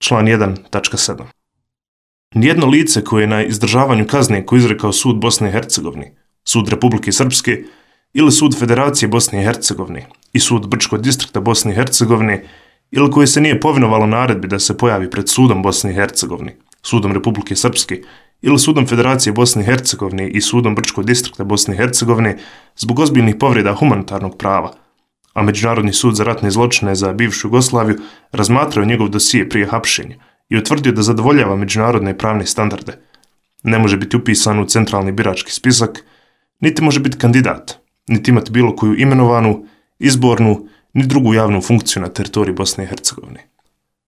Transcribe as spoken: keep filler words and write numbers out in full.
Član jedan tačka sedam. Nijedno lice koje je na izdržavanju kazne koju izrekao sud Bosne i Hercegovine, sud Republike Srpske ili sud Federacije Bosne i Hercegovine i sud Brčkog distrikta Bosne i Hercegovine ili koje se nije povinovalo naredbi da se pojavi pred sudom Bosne i Hercegovine, sudom Republike Srpske ili sudom Federacije Bosne i Hercegovine i sudom Brčkog distrikta Bosne i Hercegovine zbog ozbiljnih povreda humanitarnog prava, a Međunarodni sud za ratne zločine za bivšu Jugoslaviju razmatrao njegov dosije prije hapšenja i utvrdio da zadovoljava međunarodne pravne standarde. Ne može biti upisan u centralni birački spisak, niti može biti kandidat, niti imati bilo koju imenovanu, izbornu, ni drugu javnu funkciju na teritoriji Bosne i Hercegovine.